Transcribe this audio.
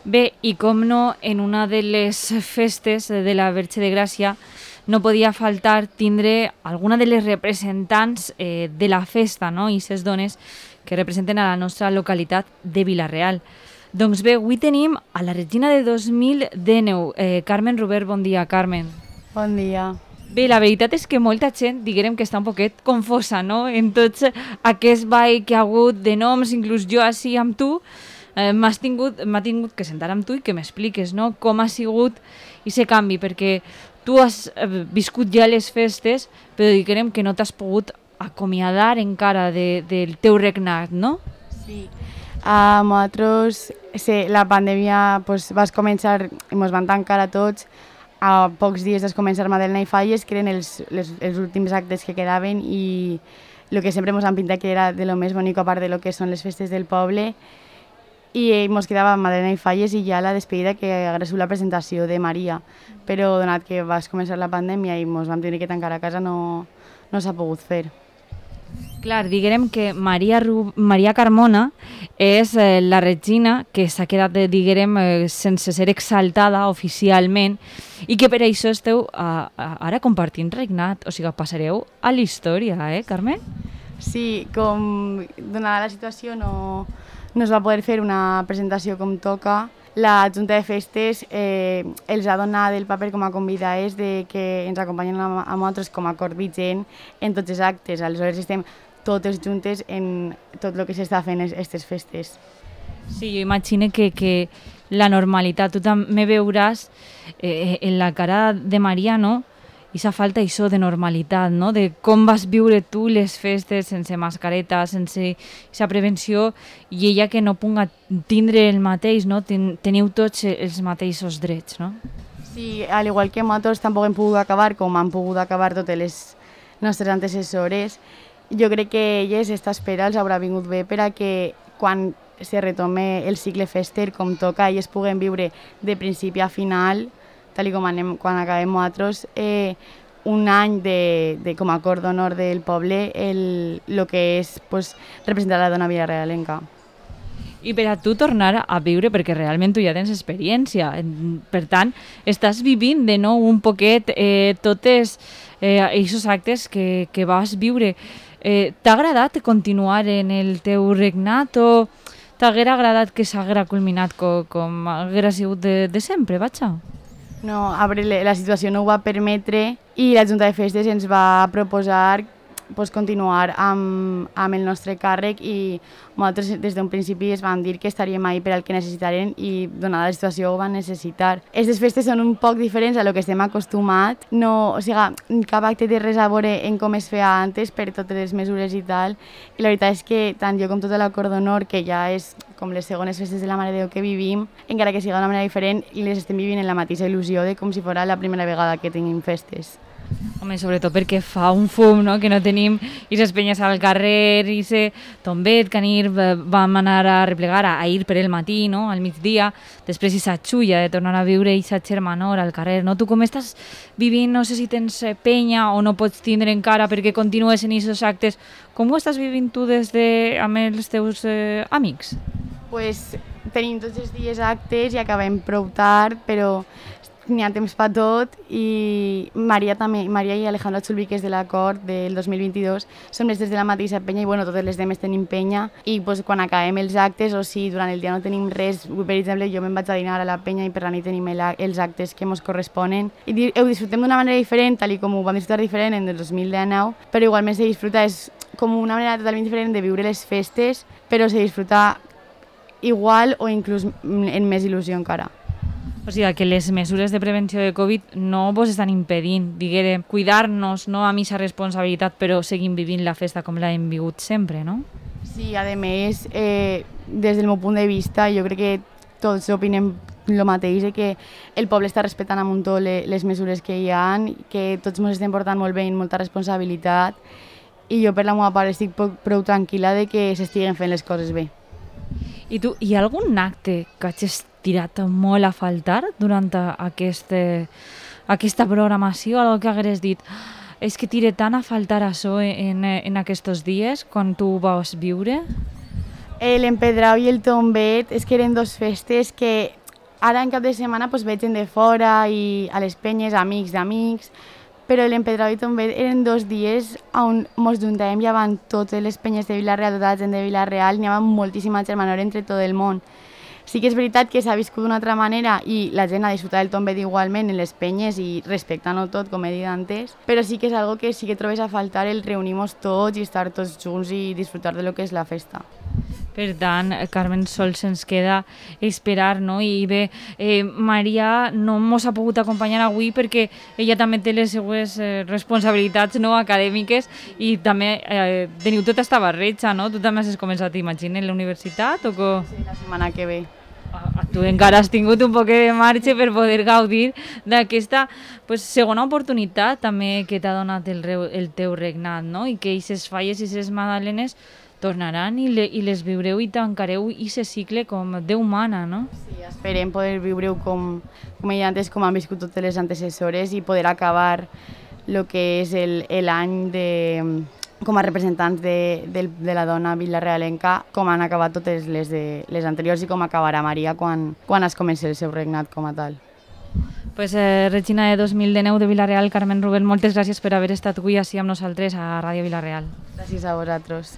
Bé, i com no, en una de les festes de la Verge de Gràcia no podia faltar tindre alguna de les representants de la festa, no? I ses dones que representen a la nostra localitat de Vila-real. Doncs bé, avui tenim a la Regina de 2019, Carmen Robert. Bon dia, Carmen. Bon dia. Bé, la veritat és que molta gent, diguem que està un poquet confosa, no?, en tots aquest ball que ha hagut de noms, inclús jo així amb tu, m'ha tingut que sentar amb tu i que m'expliques, no?, com ha sigut aquest canvi, perquè tu has viscut ja les festes, però diguem que no t'has pogut acomiadar encara del teu regnat, no? Sí. Nosaltres, la pandèmia va començar i ens van tancar a tots. A pocs dies de començar Madalena i Falles, que eren els últims actes que quedaven, i el que sempre ens han pintat que era de lo més bonic a part de lo que són les festes del poble, i ens quedava Madalena i Falles i ja la despedida, que hagués sigut la presentació de Maria, però donat que va començar la pandèmia i ens vam tenir que tancar a casa, no s'ha pogut fer. Clar, diguem que Maria Carmona és la regina que s'ha quedat, diguem, sense ser exaltada oficialment i que per això esteu ara compartint regnat, o sigui, passareu a la història, Carmen? Sí, com donada la situació no es va poder fer una presentació com toca. La Junta de Festes els ha donat el paper com a convidades de que ens acompanyen a nosaltres com a cor vigent en tots els actes. Aleshores estem totes juntes en tot el que s'està fent aquestes festes. Sí, jo imagino que la normalitat, tu també veuràs en la cara de Maria, no?, aquesta falta això de normalitat, no?, de com vas viure tu les festes sense mascareta, sense aquesta prevenció, i ella que no pugui tindre el mateix, no?, teniu tots els mateixos drets, no? Sí, al igual que nosaltres tampoc hem pogut acabar com han pogut acabar totes les nostres antecessores. Jo crec que elles, aquesta espera els haurà vingut bé per a que quan se retome el cicle fester com toca, elles puguen viure de principi a final, tal com quan acabem nosaltres, un any com a cor d'honor del poble, el que és representar la dona vilarealenca. I per a tu tornar a viure, perquè realment tu ja tens experiència, per tant, estàs vivint de nou un poquet totes aquests actes que vas viure. T'ha agradat continuar en el teu regnat o t'haguera agradat que s'haguera culminat com haguera sigut de sempre, vaja? No, a veure, la situació no ho va permetre i la Junta de Festes ens va proposar continuar amb el nostre càrrec, i nosaltres des d'un principi es van dir que estaríem ahí per al que necessitaren i donada la situació ho van necessitar. Aquestes festes són un poc diferents a lo que estem acostumats, no, o sigui, cap acte té res a veure en com es feia antes per totes les mesures i tal, i la veritat és que tant jo com tota la cor d'honor, que ja és com les segones festes de la Mare de Déu que vivim, encara que sigui d'una manera diferent, i les estem vivint en la mateixa il·lusió de com si fos la primera vegada que tenim festes. Home, sobretot perquè fa un fum, no?, que no tenim aquestes penyes al carrer, aquest tombet que ahir vam anar a replegar, a ir per el matí, no?, al migdia, després aquesta xulla de tornar a viure aquesta germanor al carrer, no? Tu com estàs vivint, no sé si tens penya o no pots tindre encara perquè continues en aquests actes, com ho estàs vivint tu amb els teus amics? Pues tenim tots els dies actes i acabem prou tard, però n'hi ha temps per tot, i Maria i Alejandra Chulví, que és de l'acord del 2022, som les des de la mateixa penya i totes les demés tenim penya, i quan acabem els actes o si durant el dia no tenim res, per exemple jo me'n vaig a dinar a la penya i per la nit tenim els actes que ens corresponen i ho disfrutem d'una manera diferent, tal com ho vam disfrutar diferent en el 2019, però igualment se disfruta, és com una manera totalment diferent de viure les festes, però se disfruta igual o inclús en més il·lusió encara. O sigui, que les mesures de prevenció de Covid no vos estan impedint, diguem, cuidar-nos, no amb aquesta responsabilitat, però seguim vivint la festa com l'hem vigut sempre, no? Sí, a més, des del meu punt de vista, jo crec que tots opinem el mateix, que el poble està respectant amb tot les mesures que hi ha, que tots ens estem portant molt bé i molta responsabilitat, i jo per la meva part estic prou tranquil·la de que s'estiguen fent les coses bé. I tu, hi ha algun acte que hagis tirat molt a faltar durant aquesta programació? Algo que hagués dit, és que tire tant a faltar això en aquests dies, quan tu ho vas viure? L'Empedrau i el Tombet és que eren dos festes que Ara en cap de setmana pues, veig gent de fora i a les penyes, amics d'amics, però l'Empedrado i Tombet eren 2 dies on ens juntàvem, ja van totes les penyes de Vila-real, tota la gent de Vila-real, n'hi havia moltíssima germanor entre tot el món. Sí que és veritat que s'ha viscut d'una altra manera i la gent ha disfrutat del Tombet igualment en les penyes i respectant-ho tot, com he dit antes, però sí que és algo que sí que trobes a faltar el reunir-nos tots i estar tots junts i disfrutar de lo que és la festa. Per tant, Carmen, sols ens queda esperar, no? I bé, Maria no mos ha pogut acompanyar avui perquè ella també té les seues responsabilitats no, acadèmiques i també teniu tota esta barreja, no? Tu també has començat, imagina, la universitat o com? Sí, la setmana que ve. Tu encara has tingut un poc de marge per poder gaudir d'aquesta pues, segona oportunitat també que t'ha donat el teu regnat, no? I que aquestes falles i aquestes magdalenes tornaran i les viureu i tancareu aquest cicle com Déu mana, no? Sí, esperem poder viure-ho com he dit antes, com han viscut totes les antecessores i poder acabar el que és l'any com a representants de la dona vilarealenca, com han acabat totes les anteriors i com acabarà Maria quan es comenci el seu regnat com a tal. Pues, Regina de 2019 de Vila-real, Carmen Rubén, moltes gràcies per haver estat avui així amb nosaltres a Ràdio Vila-real. Gràcies a vosaltres.